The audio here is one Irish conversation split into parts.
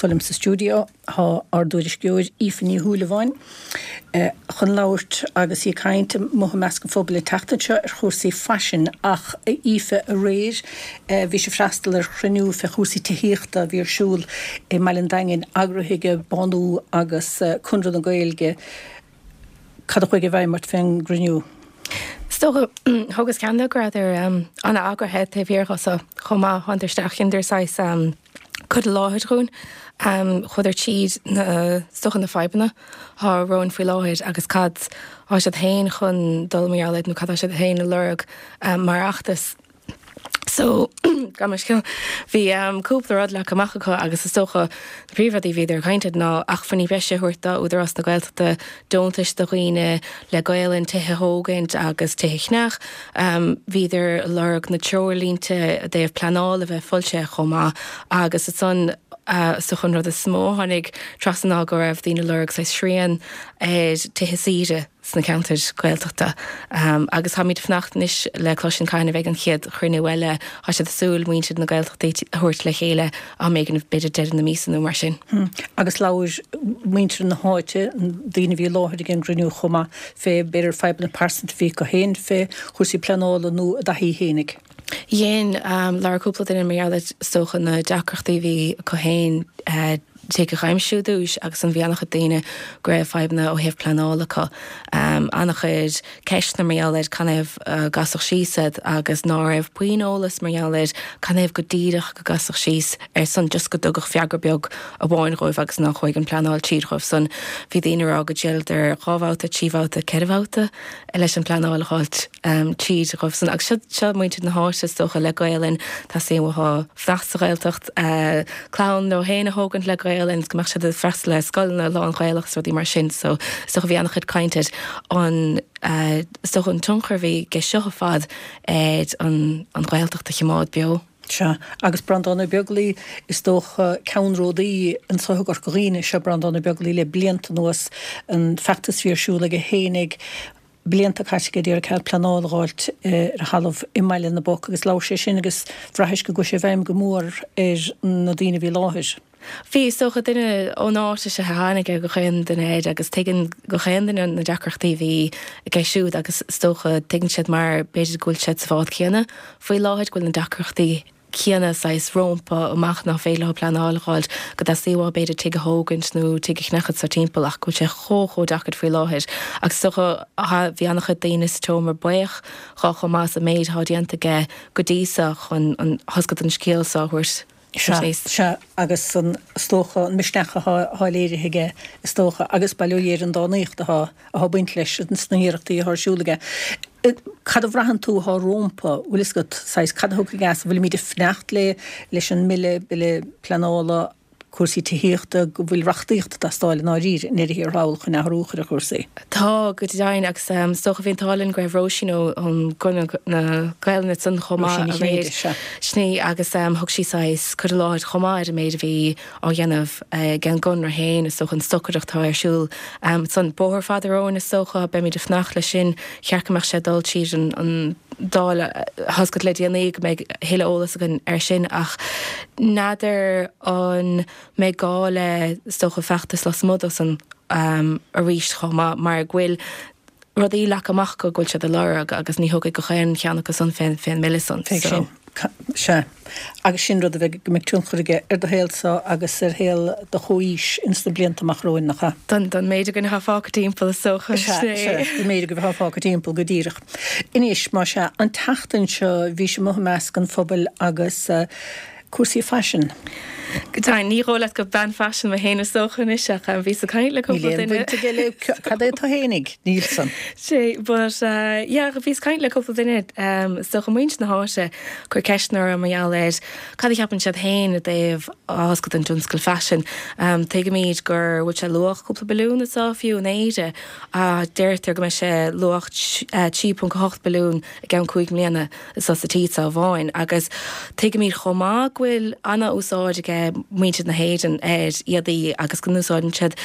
So liom sa stiúideo tá ár dtuairisceoir Aoife Ní Shúilleabháin chun labhairt agus í ag caint amuigh i measc an phobail an tseachtain seo ar chúrsaí faisin. Ach a Aoife, aréir bhís ag freastal ar chruinniú fé chúrsaí tithíochta a bhí ar siúl i mBaile an Daingin, eagraithe ag Bánú agus Conradh na Gaeilge. Cad a chuaigh i bhfeidhm ort fén gcruinniú? Is dócha, thugas ceann de go rabhadar an-eagraithe taobh thiar dho so chomh maith. Thánadar isteach, dheineadar saghas cur i láthair dhúinn. Chuadar tríd na, is dócha na fadhbanna thá romhainn faoi láthair agus cad thá siad féin chun dul mar gheall air nó cad thá siad féin a lorg mar fheachtas. So, gabh mo leithscéal, bhí cúpla rud leagtha amach acu agus is dócha na príomhrudaí a bhíodar ag caint air ná acmhainní breise a thabhairt do Údarás na Gaeltachta, deontais do dhaoine le Gaelainn, tithe a thógaint agus tithe a cheannach. Bhíodar ag lorg na treoirlínte i dtaobh pleanála a bheith foilsithe chomh maith agus ansan is dócha an rud is mó a tháinig trasna ná go raibh daoine ag lorg saghas srian ar tithe saoire. sna ceantair Ghaeltachta. Agus táimid ag fanacht anois le cloisint cathain a bheidh an chéad chruinniú eile. Tá siad ag súil muintir na Gaeltachtaí a thabhairt le chéile am éigin, b'fhéidir deireadh na míosa nó mar sin. Agus labhair muintir na háite, daoine a bhí i láthair ag an gcruinniú chomh maith, fé b'fhéidir fadhbanna pearsanta a bhí acu féin fé chúrsaí pleanála nó a dtaithí fhéinig. Dhein, labhair cúpla duine mar gheall ar, is dócha, na deacrachtaí a bhí acu féin, tigh a dh'aimsiú ar dtúis agus an bhí an-chuid daoine go raibh fadhbanna ó thaobh pleanála acu. An-chuid ceisteanna mar gheall ar canathaobh a gcasadh síos iad agus ná raibh puinn eolas mar gheall ar canathaobh go díreach go gcasadh síos ar son just go dtugadh freagra beag amháin dhóibh agus ná chuaigh an pleanáil tríd dhóibh san. Bhí daoine ag rá go dtriaileadar 2 bhabhta, 3 bhabhta, 4 bhabhta leis an pleanáil a dh'fháilt tríd dhóibh san. Agus seo, seo muintir na háite is dócha le Gaelainn, teastaíonn uathu fanacht sa Ghaeltacht, clann leo féin a thógaint le Gaelainn, go mbeadh siad ag freastal ar scoileanna lán-Ghaelach is rudaí mar sin. So is dócha bhí an-chuid caint ar an, is dócha an tionchar a bhí aige seo ar fad ar an an Ghaeltacht a chimeád beo. Sea, agus Breandán Ó Beaglaoi, is dócha, ceannródaí anso i gCorca Dhuibhne is ea Breandán Ó Beaglaoi le blianta anuas, an feachtas a bhí ar siúl aige fhéinig, blianta caite aige ag iarraidh cead pleanála a dh'fháilt ar a thalamh i mBaile na bPoc agus labhair sé sin agus bhraithis go gcuaigh sé i bhfeidhm go mór ar na daoine a bhí i láthair. Bhí, is dócha, duine ón áit is ea a tháinig ar gach aon duine air agus tuigeann gach aon duine na deacrachtaí a bhí aige siúd agus is dócha tuigeann siad mar b'fhéidir go bhfuil siad sa bhád céanna faoi láthair, go bhfuil na deacrachtaí céanna saghas rómpa amach nach féidir leo pleanáil a dh'fháilt, go dteastaíonn uathu b'fhéidir tigh a thógaint nó tigh a cheannacht sa timpeall ach go bhfuil sé chomh chomh deacair faoi láthair agus is dócha bhí an-chuid daoine sa tseomra buíoch dhó chomh maith as an méid atá déanta aige go dtí so chun an thosca don scéal so a thabhairt Sea, sea, agus an, is dócha, an misneach athá, athá léirithe aige, is dócha, agus bail ó Dhia ar an dánaíocht athá, athá ag baint leis sna hiarrachtaí athá ar siúl aige. Cad a bhraitheann tú athá rómpa, bhfuil fhios agat, saghas, cad a thiocfaidh as, an bhfuilimíd ag fanacht le, leis an mbille, bille pleanála, cúrsaí tithíochta, go bhfuil reachtaíocht ag teastáil i ndáiríre i ndeireadh thiar thall chun athrú a chur ar chúrsaí. Tá, go deimhin, agus is dócha bhí an t-ádh linn go raibh Róisín ón gConradh na Gaelainne ansan chomh maith Róisín Ní Chinnéide, sea. Sin í, agus thug sí saghas cur i láthair chomh maith ar an méid a bhí á dhéanamh ag an gConradh féin, is dócha, an stocaireacht atá ar siúl ansan. Bóthar fada romhainn, is dócha, beimid ag fanacht leis sin, cheart go mbeadh sé ag dul tríd an Dáil tá's agat le déanaí go mbeidh a thuilleadh eolas againn air sin ach n'fheadar an mbeidh gá le is dócha feachtas lasmuigh de san arís chomh maith mar go bhfuil rudaí leagtha amach acu go bhfuil siad ag lorg agus ní thiocfaidh gach aon cheann acu san fén fén mbille san. Fé sin. Sea. Agus sin rud a bheidh, go mbeidh tionchar aige ar do shaolsa agus ar shaol do chomhaois ins na blianta amach romhainn, nach ea? Don, don méid againn atá fágtha timpeall, is dócha. Sea, sea, don méid agaibh atá fágtha timpeall, go díreach. Anois, más ea, an tseachtain seo bhís amuigh i measc an phobail agus cúrsaí faisin. Go deimhin, ní dhóigh leat gur bean faisin mé féin is dócha anois ach bhíos ag caint le cúpla Níl aon duine. bhaint aige le cad é tú fhéinig, níl san. Sea, but yeah, bhíos ag caint le cúpla duine, is dócha muintir na háite, cur ceisteanna orthu mar gheall ar cad a cheapann siad féin i dtaobh tá's agat an tionscal faisin. Tuigimid go bhfuil sé luach cúpla billiún anseo fiú in Éire ach deirtear go mbeidh sé luach 3.8 billiún i gceann 5 mbliana. sa tír seo amháin agus tuigimid chomh maith go bhfuil ana-úsáid ag muintir na hÉireann ar éadaí agus go n-úsáideann siad.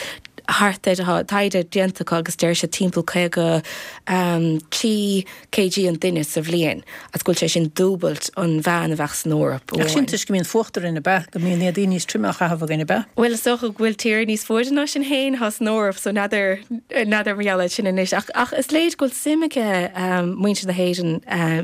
Thart ar, tá taighde déanta acu agus deir siad timpeall 53 kg an duine sa bhliain agus go bhfuil sé sin dúbailt an mheán a bheadh san Eoraip Ach sin toisc go mbíonn fuacht orainn, ab ea? Go mbíonn éadaí níos troime á chaitheamh againn, ab ea? Bhuel, is dócha go bhfuil tír níos fuaire ná sinn féin atá san Eoraip so n'fheadar, n'fheadar mar gheall air sin anois. Ach, ach is léir go bhfuil suim aige muintir na hÉireann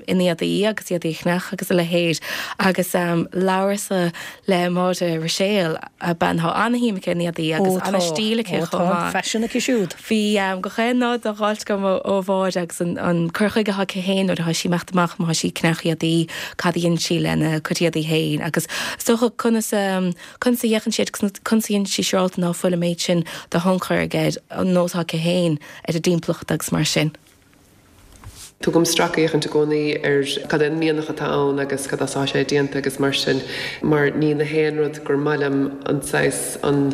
in éadaí agus éadaí a cheannach agus a leithéid agus labhras-sa le Máire Ruiséal, bean atá ana-shuim aici in éadaí agus ana-stíl aici chomh maith. Ó tá faisean aici siúd. Bhí gach aon nod á dh'fháilt agam ó Mháire agus an cur chuige atá aici féin nuair atá sí ag imeacht amach, má tá sí ag ceannach éadaí, cad a dhéanann sí lena cuid éadaí féin agus is dócha conas conas a fhéachann sí agus conas a dhéanann sí siúráilte ná fuil an méid sin de thionchar aige an nós atá aici féin ar an dtimpeallacht agus mar sin. Tugaim stracfhéachaint i gcónaí ar cad é an mianach atá ann agus cad as atá sé déanta agus mar sin, mar ní na haon rud gur maith liom an saghas, an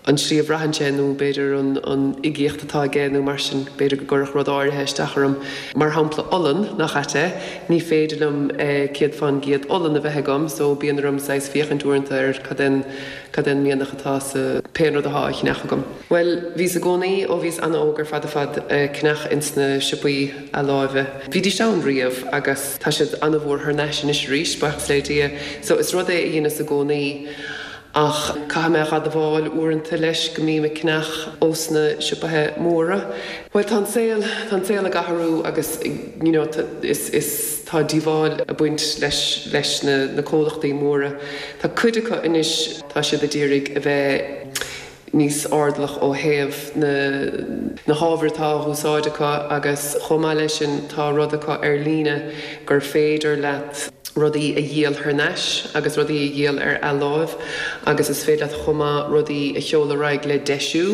an tslí a bhraitheann sé nó b'fhéidir an an uigeacht atá aige nó mar sin, b'fhéidir go gcuirfeadh rud áirithe isteach orm. Mar shampla olann, nach ait é, ní féidir liom 100% olann a bheith agam so bíonn orm saghas féachaint uaireanta ar cad é an cad é an mianach atá sa pé an rud atá á cheannach agam. Bhuel, bhíos i gcónaí, ó bhíos ana-óg ar fad ar fad, ag ceannach ins na siopaí athláimhe. Bhídís ann riamh agus tá siad ana-mhór thar n-ais anois arís, buíochas le Dia. So, is rud é a dheineas i gcónaí ach caithfidh mé a dh'admháil uaireanta leis go mbím ag ceannach ós na siopaithe móra. Bhuel, tá an saol, tá an saol ag athrú agus you know, is, is, tá díobháil ag baint leis, leis na, na comhlachtaí móra. Tá cuid acu anois, tá siad a d'iarraidh a bheith, níos airdeallach ó thaobh na na hábhair atá á úsáid acu agus chomh maith leis sin tá rud acu ar líne gur féidir leat rudaí a dhíol thar n-ais agus rudaí a dhíol ar athláimh agus is féidir leat chomh maith rudaí a sheoladh ar aghaidh le deisiú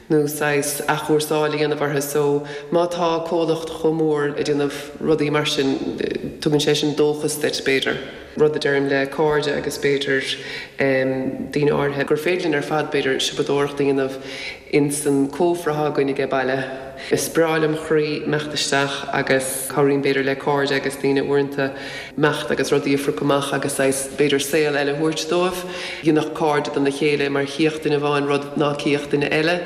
nó saghas athchúrsáil a dhéanamh orthu so má tá comhlacht chomh mór ag déanamh rudaí mar sin tugann sé sin dóchas duit b'fhéidir. Rud a deirim le cairde agus b'fhéidir daoine áirithe, gur féidir linn ar fad b'fhéidir siopadóireacht a dhéanamh ins an cófra atá againn aige baile. Is breá lem chroí imeacht isteach agus cabhraím b'fhéidir le cairde agus daoine uaireanta imeacht agus rudaí a phrioc amach agus saghas b'fhéidir saol eile a thabhairt dóibh. Dhéanfadh cairde dona chéile mar chífeadh duine amháin rud ná cífeadh duine eile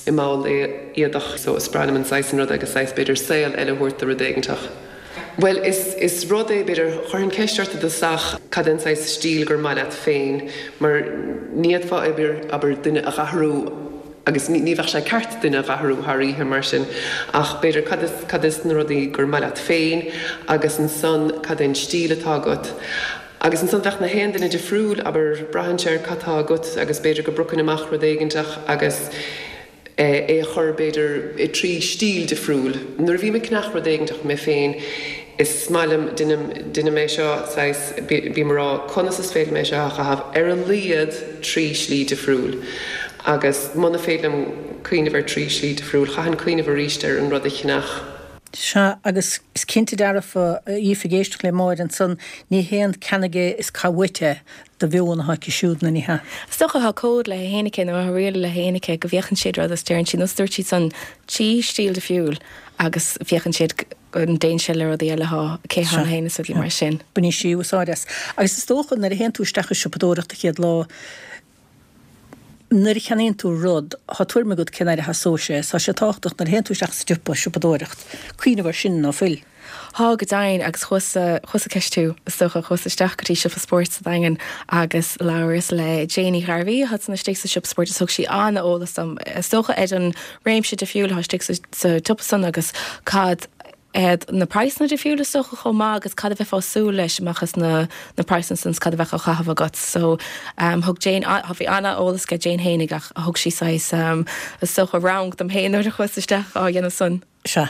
i mball éadach. So is breá liom an saghas sin ruda agus saghas b'fhéidir saol eile a thabhairt do rud éiginteach. Bhuel, is, is rud é, b'fhéidir, chuirfinn ceist ort i dtosach cad é an saghas stíl gur maith leat féin, mar ní fhéadfá, abair, abair, duine a dh'athrú agus ní, ní bheadh sé ceart duine a dh'athrú thar oíche mar sin, ach b'fhéidir cad is, cad is na rudaí gur maith leat féin agus ansan cad é an stíl atá agat. Agus ansan bheadh na haon duine difriúil, abair, braitheann sé ar cad tá agat agus b'fhéidir go bpriocfainn amach rud éiginteach agus, é a chur, b'fhéidir, i dtrí stíl difriúil. Nuair a bhím ag ceannach rud éiginteach mé féin, is maith liom, deinim, deinim é seo, saghas, bím ag rá, conas is féidir liom é seo a chaitheamh ar a laghad trí shlí difriúil? Agus muna féidir liom cuimhneamh ar trí shlí difriúil, chaithfinn cuimhneamh arís ar an rud a cheannach. Sea, agus is cinnte dearfa, a Aoife, ag éisteacht le Máire ansan, ní haon ceannaigh é is caith uait é de mheon atá aici siúd, nó ní hea? Is dócha, tá cód léi féin aici, nó tá riail léi féin aici, go bhféachann siad rud is deireann siad, nós dúirt siad san, trí stíl difriúil agus féachann siad go dtéann sé le rudaí eile atá aici cheana féin is rudaí mar sin. Baineann sí úsáid as. Agus is dócha, nuair a théann tú isteach ag siopadóireacht an chéad lá, Nuair a cheannaíonn tú rud, tá tuairim agat cén aire a sheasóidh sé. Tá sé tábhachtach nuair a théann tú isteach sa tsiopa, siopadóireacht, cuimhneamh air sin, ná fuil? Thá, go deimhin, agus chuas-sa, chuas-sa ceistiú, is dócha, chuas isteach go dtí siopa spóirt sa Daingean agus labhras le Jane Uí Ghairbhí, atá san istigh sa siopa spóirt agus thug sí an-eolas dom, is dócha, ar an réimse difriúil atá istigh sa, sa tsiopa san agus cad iad na praghsanna difriúla is dócha chomh maith agus cad a bheifeá ag súil leis amach as na na praghsanna san is cad a bheadh á chaitheamh agat. So thug Jane, bhí an-eolas aige Jane fhéinig ach thug sí saghas is dócha rang dom féin nuair a chuas isteach á dhéanamh san. Sea.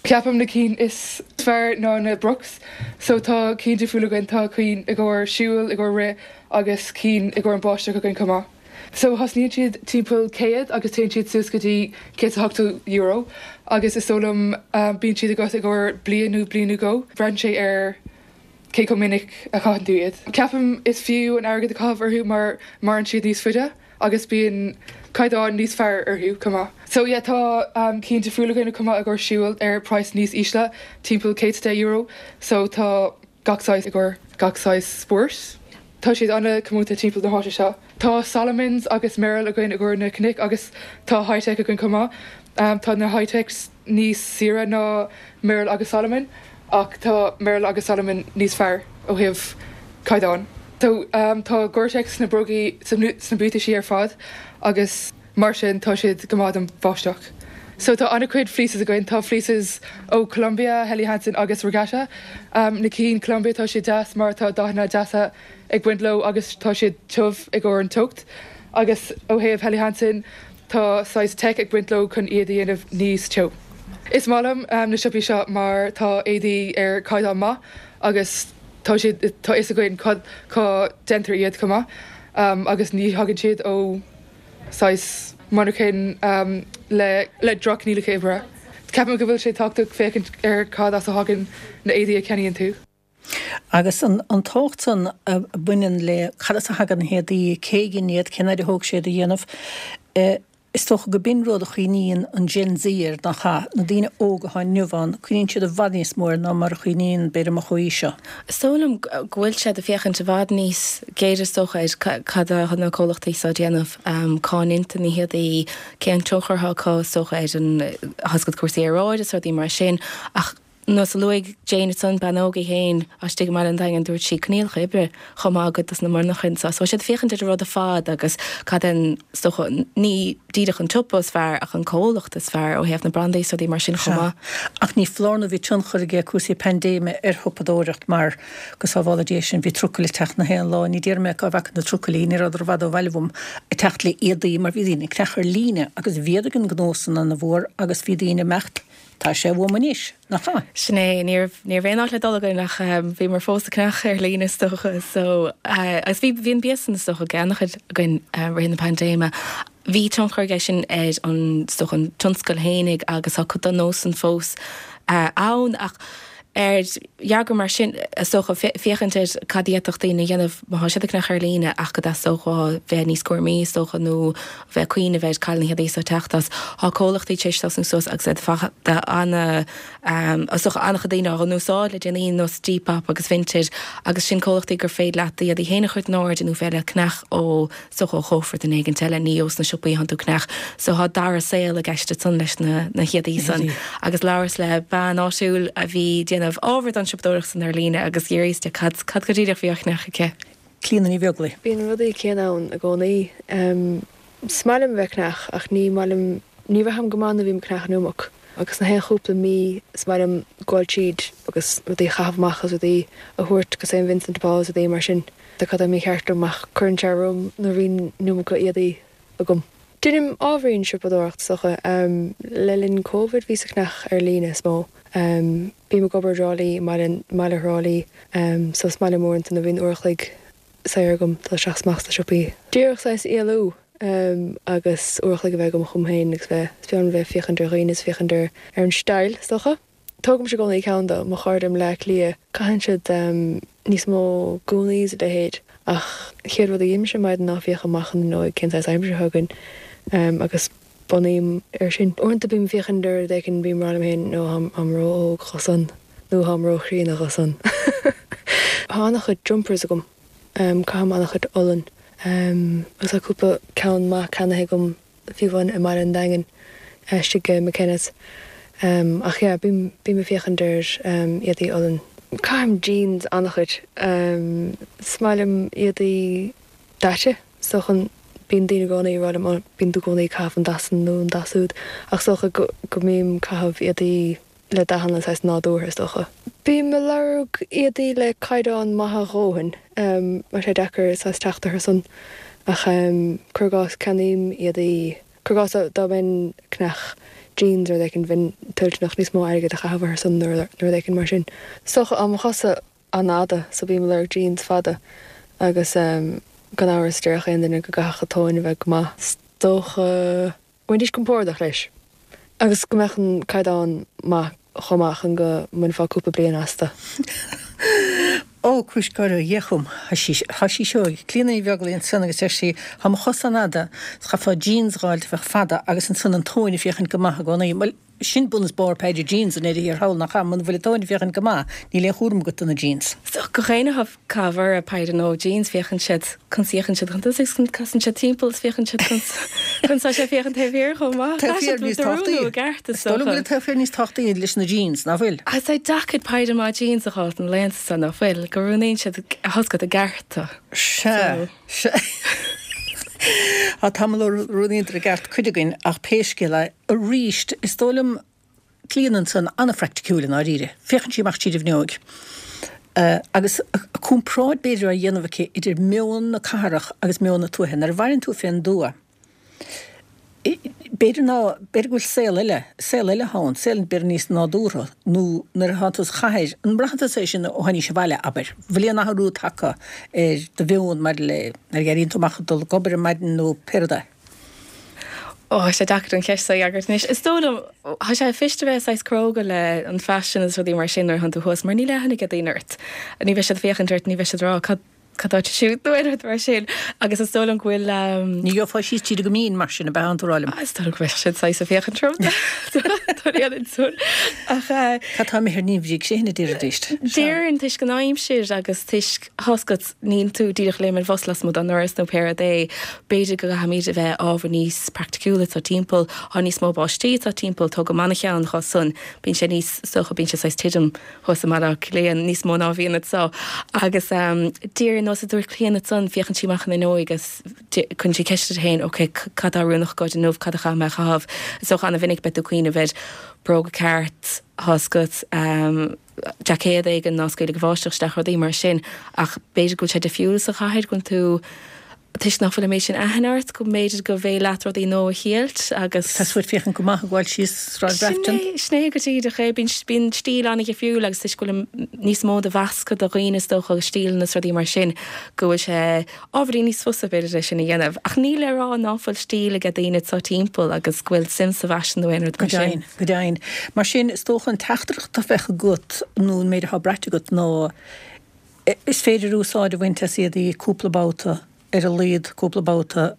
Ceapaim na cinn is fearr ná na Brooks. So tá cinn difriúil againn, tá cinn i gcomhair siúil, i gcomhair rith agus cinn i gcomhair an báisteach againn chomh maith. So thosnaíonn siad timpeall 100 agus téann siad suas go dtí €180 agus is dóigh liom bíonn siad agat i gcomhair bliain nó bliain nó dhó. Braitheann sé ar cé chomh minic a chaitheann tú iad. Ceapaim is fiú an airgead a chaitheamh orthu mar maireann siad níos faide agus bíonn caighdeán níos fearr orthu chomh maith. So yeah tá cinn difriúil againn chomh maith i gcomhair siúil ar praghas níos ísle, timpeall €110. So tá gach saghas i gcomhair gach saghas spóirt. Tá siad an-comónta timpeall na háite seo. Tá Salomons agus Merrell againn i gcomhair na cnoic agus tá Hi-Tec againn chomh maith. Tá na Hi-Tecs níos saoire ná Merrell agus Salomon ach tá Merrell agus Salomon níos fearr ó thaobh caighdeáin. So tá Gore-Tex sna brógaí, sna buataisí ar fad agus mar sin tá siad go maith don bháisteach. So tá an-chuid fleeces againn, tá fleeces ó Columbia, Helly Hansen agus Regatta. Na cinn Columbia tá siad deas mar tá dathanna deasa ag baint leo agus tá siad tiubh i gcomhair an teocht. Agus ó thaobh Helly Hansen tá saghas tech ag baint leo chun iad a dhéanamh níos teo. Is maith liom na siopaí seo mar tá éadaí ar chaighdeán maith agus tá siad, tá fhios againn cá déantar iad chomh maith agus ní thagann siad ó saghas monarchain le le droch-choinníollacha oibre. Ceapaim go bhfuil sé tábhachtach féachaint ar cad as a thagann na éadaí a cheannaíonn tú. Agus an tábhacht san a bhaineann le cad as a thagann na héadaí, cé a dhein iad, cén fhaid a thóg sé iad a dhéanamh, is dócha go b'in rud a chuimhníonn an Gen Z air, nach ea? Na daoine óga atá inniu ann, cuimhníonn siad i bhfad níos mó air ná mar a chuimhníonn, b'fhéidir, mo chomhaoiseach. Is dóigh liom go bhfuil siad ag féachaint i bhfad níos géire is dócha ar cad atá na comhlachtaí seo ag déanamh, cá ndéantar na héadaí, cén tionchar atá acu is dócha ar an, tá a fhios agat cúrsaí aeráide is rudaí mar sin ach, Nós a luaigh Jane ansan, bean óg í féin, istigh i mBaile an Daingin, dúirt sí, coinníollacha oibre chomh maith i gcuid dos na monarchain so. So tá siad ag féachaint ar an rud ar fad agus cad é an, is dócha, ní díreach an tsiopa is fearr ach an comhlacht is fearr ó thaobh na brandaí is rudaí mar sin chomh maith. Ach ní foláir nó bhí tionchar aige cúrsaí paindéime ar shiopadóireacht mar, go sábhála Dia sinn, bhí trucail ag teacht na haon lá, ní déarfaidh mé cá bhfaca na trucailí, ní rabhadar i bhfad ó bhaile uaim, ag teacht le éadaí mar bhí daoine ag ceannach ar líne agus mhéadaigh an gnó san ana-mhór agus bhí daoine ag imeacht Tá sé uaim anois, nach ea? Sin é, ní raibh, ní raibh aon áit le dul againn ach bhíomar fós ag ceannach ar líne is dócha so agus bhí, bhí an bia san is dócha ag an-chuid againn i rith na paindéime. Bhí tionchar aige sin ar an, is dócha an tionscal fhéinig agus tá cuid den nós san fós ann ach ar dhearcadh mar sin, is dócha, féachaint ar cad a d'fhéadfadh daoine a dhéanamh má tá siad ag ceannach ar líne ach go dteastódh uathu bheith níos cúramaí, is dócha, nó bheith ag cuimhneamh ar cá bhfuil na héadaí seo ag teacht as. Tá comhlachtaí tar éis tosnú suas agus iad fachta ana, is dócha, an-chuid daoine á n-úsáid le déanaí, nós Depop agus Vinted agus sin comhlachtaí gur féidir leat d'éadaí féin a chur in airde nó féidir leat ceannach ó Is dócha ó chófra duine éigint eile, ní ós na siopaí a thánn tú ag ceannach. So thá dara saol i gceist ansan leis na na héadaí san. Agus labhras le bean áitiúil a bhí déanamh ábhar don siopadóireacht san ar líne agus d'fhiafraíos di cad cad go díreach bhí á cheannach aici. Clíona Ní Bheaglaoich. Bíonn rudaí céanna ann i gcónaí. Is maith liom a bheith ag ceannach ach ní maith liom, ní bhraithim go maith nuair a bhím ag ceannach an iomarca. Agus na haon chúpla mí is maith liom gabháil tríd agus rudaí a chaitheamh amach agus rudaí a thabhairt go St Vincent de Paul is rudaí mar sin. Tá cad é mícheart liom ach cuireann sé orm nuair a bhíonn an iomarca éadaí agam. Deinim ábhairín siopadóireacht is dócha. Le linn Covid bhíos ag ceannach ar líne is mó. Bím ag obair i dTrá Lí, i mbaile Thrá Lí, so is maith liom uaireanta nuair a bhíonn uair a chloig saor agam dul isteach is amach sna siopaí. Díreach saghas éalú agus uair a chloig a bheith agam chugam féin agus bheith, is breá liom bheith ag féachaint ar dhaoine is féachaint ar ar an style is dócha. Tógaimse i gcónaí ceann do mo chairde i mBleá Cliath, caitheann siad níos mó gúnaí is a leithéid ach chéad rud a dhéanaimse ar maidin ná féachaim amach an fhuinneoig cén saghas aimsir atá againn agus bunaím air sin. Uaireanta bím ag féachaint ar rud éigin, bím ag rá liom féin nó táim ró-óg dho san nó táim ró-chríonna dho san. Tá an-chuid jumpers agam, caithim an-chuid olann agus tá cúpla ceann maith ceannaithe agam fiú amháin i mBaile an Daingin istigh i McKenna's. Ach yeah, bím bím ag féachaint ar éadaí olann. Caithim jeans an-chuid. Is maith liom éadaí daite. Is dócha, bíonn daoine i gcónaí ag rá liom, oh, bíonn tú i gcónaí ag caitheamh an dath san nó an dath súd. Ach is dócha go, go mbím ag caitheamh éadaí le dathanna saghas nádúrtha, is dócha. Bím ag lorg éadaí le caighdeán maith a dhóthain. Tá sé deacair saghas teacht orthu san. Ach cuir i gcás, ceannaím éadaí, cuir i gcás dá mbeinn ag ceannach jeans nó rud éicint, bheinn toilteanach níos mó airgid a chaitheamh orthu san nó rud éicint mar sin. Is dócha, tá mo chosa an-fhada so bím ag lorg jeans fada agus gan amhras déarfadh aon duine go gcaithfeadh an tóin a bheith go maith. Is dócha go mbeidís compordach leis agus go mbeadh an caighdeán maith chomh maith chun go mbainfeá cúpla bliain astu. Ó, cúis gáire ó Dhia chugam. Tá sí seo ag Clíona Ní Bheaglaoich ansan agus deir sí, tá mo chosa an-fhada, is chaithfeá jeans a dh'fháilt a bheadh fada agus ansan an tóin ag féachaint go maith i gcónaí. Bhuel. Sin bun is barr péire jeans i ndeireadh thiar thall, nach ea? Muna bhfuil an tóin ag féachaint go maith, níl aon chúram agat do na jeans. So, gach éinne atá ag caitheamh orthu péire nua jeans, féachann siad conas a fhéachann siad chun tosaigh agus casann siad timpeall is féachann siad conas conas tá sé ag féachaint taobh thiar chomh maith. Taobh thiar níos tábhachtaí. I gceart, is dóigh liom go bhfuil an taobh thiar níos tábhachtaí leis na jeans, nach bhfuil? Is é deacair péire maith jeans a fháil na laethanta seo, nach bhfuil? Go roghnaíonn siad a thoscailt i gceart. Sea. Sea. Tá tamall ó roghnaíodar i gceart cuid againn ach pé scéal é, arís, is dóigh liom Clíona ansan an-phraiticiúil i ndáiríre. Féachann sí amach tríd an bhfuinneoig agus comparáid b'fhéidir á dhéanamh aici idir meon na cathrach agus meon na tuaithe. Nuair a mhaireann tú fén dtuath, B'fhéidir ná, b'fhéidir go bhfuil saol eile, saol eile ann, saol b'fhéidir níos nádúrtha, nó nuair atá tú sa chathair, an mbraitheann tusa é sin ó tháinís abhaile, abair? Bhfuil aon athrú tagtha ar do mheon maidir le nuair a éiríonn tú amach ag dul ag obair ar maidin nó pé rud é? Ó, tá sé deacair an cheist seo a fhreagairt anois. Is dóigh liom, tá sé fuirist a bheith saghas cróga le an faisean agus rudaí mar sin nuair a thánn tú thuas, mar níl aithne ag daoine ort. Ní bheidh siad ag féachaint ort, ní bheidh siad ag rá cad, Cad tá siúd nó aon rud mar sin agus is dóigh liom go bhfuil. Ní gheofá síos tríd go mín mar sin, ab ea an tú ag rá liom? Is dóigh liom go mbeadh siad saghas ag féachaint orm. Tá Ach. Cad tá imithe ar neamhbhrígh sin, a déarfaidís. Déarfainn toisc an aimsir agus toisc tá's agat níl tú díreach léim ar bhus lasmuigh don ndoras nó pé rud é, b'fhéidir go gcaithfimid a bheith ábhar níos praiticiúla atá timpeall, tá níos mó báistí atá timpeall, tóg amach an cheann chomh san, bíonn sé níos, is dócha, bíonn sé saghas tirim. thuas i mBaile Átha Cliath níos mó ná a bhíonn anseo. Agus díreach ar nós a dúirt Clíona ansan, féachann sí amach an fhuinneoig agus cuireann sí ceist uirthi féin, ok, cad tá oiriúnach agad inniu, cad a chaithfidh mé a chaitheamh? Is dócha ana-mhinic beidh tú ag cuimhneamh ar bróga ceart, tá's agat, jaicéad éigin ná scaoilfidh an bháisteach isteach, rudaí mar sin. Ach b'fhéidir go bhfuil sé difriúil sa chathair, go bhfuil tú, toisc nach bhfuil an méid sin aithne ort, go mb'fhéidir go bhféidir leat rudaí nua a thriailt agus. Tá tú ag féachaint go maith ag gabháil síos Sráid Grafton. Sin é, sin é go díreach é. Bíonn, bíonn stíl an-dhifriúil agus toisc go bhfuil níos mó de mheascadh de dhaoine is dócha agus stíleanna is rudaí mar sin go bhfuil sé ábhairín níos fusa b'fhéidir é sin a dhéanamh. Ach ní le rá ná fuil stíl ag daoine anseo timpeall agus go bhfuil suim sa bhfaisean nó aon rud mar sin. Go deimhin, go deimhin. Mar sin, is dócha an teachtaireacht a bheadh agat nó an méid atá braite agat ná, Is féidir úsáid a bhaint as éadaí cúpla babhta, ar a laghad cúpla babhta,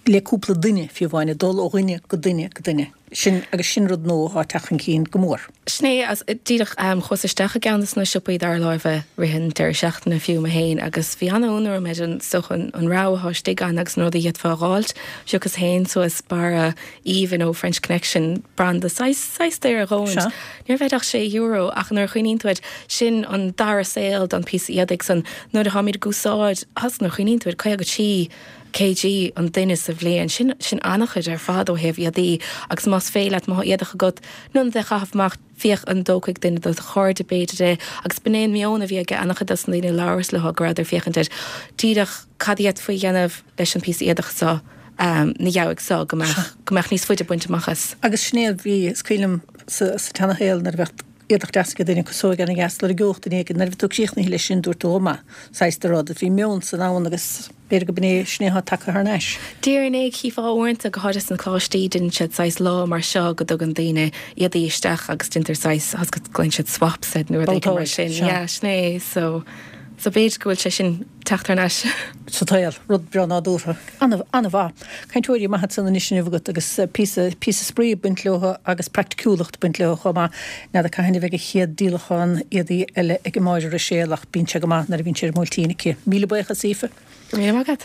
le cúpla duine, fiú amháin, ag dul ó dhuine go duine go duine. Sin, agus sin rud nua atá ag teacht chun cinn go mór. Sin é, agus díreach chuas isteach i gceann de na siopaí dara láimhe rith an deireadh seachtaine fiú mé féin agus bhí an-ionadh orm ar an, is dócha, an rogha atá istigh ann agus na rudaí a d'fhéadfá a dh'fháilt. Phiocas féin suas barra aoibhinn ó French Connection, branda saghas, saghas daor ar dhóint. Sea. Ní raibh ach €6 ach nuair a chuimhníonn tú air, sin an dara saol don phíosa éadaigh san. Nuair atáimid ag úsáid, agus nuair a chuimhníonn tú air, 53 kg an duine sa bhliain, sin, sin an-chuid ar fad ó thaobh éadaí agus más féidir leat, má tá éadach agat, in ionad é a chaitheamh amach, féach an dtógfaidh duine de do chairde b'fhéidir é agus b'in é an meon a bhí ag an-chuid dos na daoine a labhras leo go rabhadar ag féachaint ar díreach cad a d'fhéadfaí a dhéanamh leis an phíosa éadach seo. na dheabhaidh so go mbeadh, go mbeadh níos faide bainte amach as. Agus sin é a bhí, is cuimhin liom sa, sa tseana-shaol nuair a bheadh éadach deas ag duine, casóig ana-dheas, lorgódh duine éigin, nuair a bhí tú críochnaithe leis sin dúirt tú ó maith, saghas de rud. Bhí meon san ann agus b'fhéidir go b'in é, sin é atá tagtha thar n-ais. Déarfainn é, chífeá uaireanta, go háirithe sna coláistí, déanann siad saghas lá mar seo go dtugann daoine éadaí isteach agus déantar saghas, tá's agat, glaonn siad swaps air nó rud éigin mar sin. Yeah, sin é, so, so b'fhéidir go bhfuil sé sin teacht thar n-ais. sa tsaol, rud breá nádúrtha. An-mhaith. Cainteoirí maithe ansan anois inniu agat agus píosa, píosa spraoi ag baint leo agus praiticiúlacht ag baint leo chomh maith. N'fheadar cathain a bheidh an chéad díolachán éadaí eile ag Máire Ruiséal ach bíonn sé go maith nuair a bhíonn sé ar an mbuailtín aici. Míle buíochas, Aoife. Go raibh míle maith agat.